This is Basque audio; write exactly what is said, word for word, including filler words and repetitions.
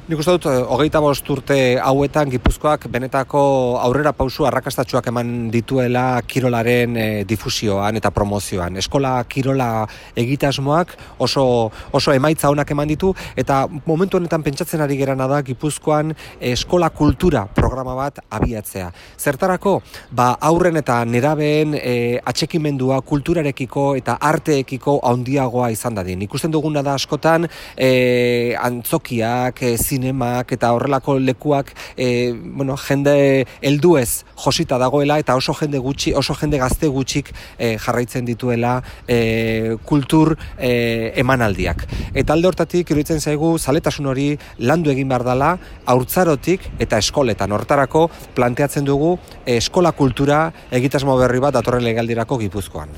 Nik uste dut, hogeita bost urte hauetan Gipuzkoak benetako aurrera pausu arrakastatsuak eman dituela kirolaren e, difusioan eta promozioan. Eskola kirola egitasmoak oso, oso emaitza onak eman ditu, eta momentu honetan pentsatzen ari gerana da Gipuzkoan eskola kultura programa bat abiatzea. Zertarako, ba, aurren eta nerabeen e, atxekimendua kulturarekiko eta arteekiko handiagoa izan dadin. Ikusten duguna da askotan e, antzokiak, e, zinemak eta horrelako lekuak e, bueno, jende helduez josita dagoela eta oso jende gutxi, oso jende gazte gutxik e, jarraitzen dituela e, kultur e, emanaldiak. Eta alde hortatik iruditzen zaigu zaletasun hori landu egin behar dela haurtzarotik eta eskoletan. Hortarako planteatzen dugu e, eskola kultura egitasmo berri bat datorren legealdirako Gipuzkoan.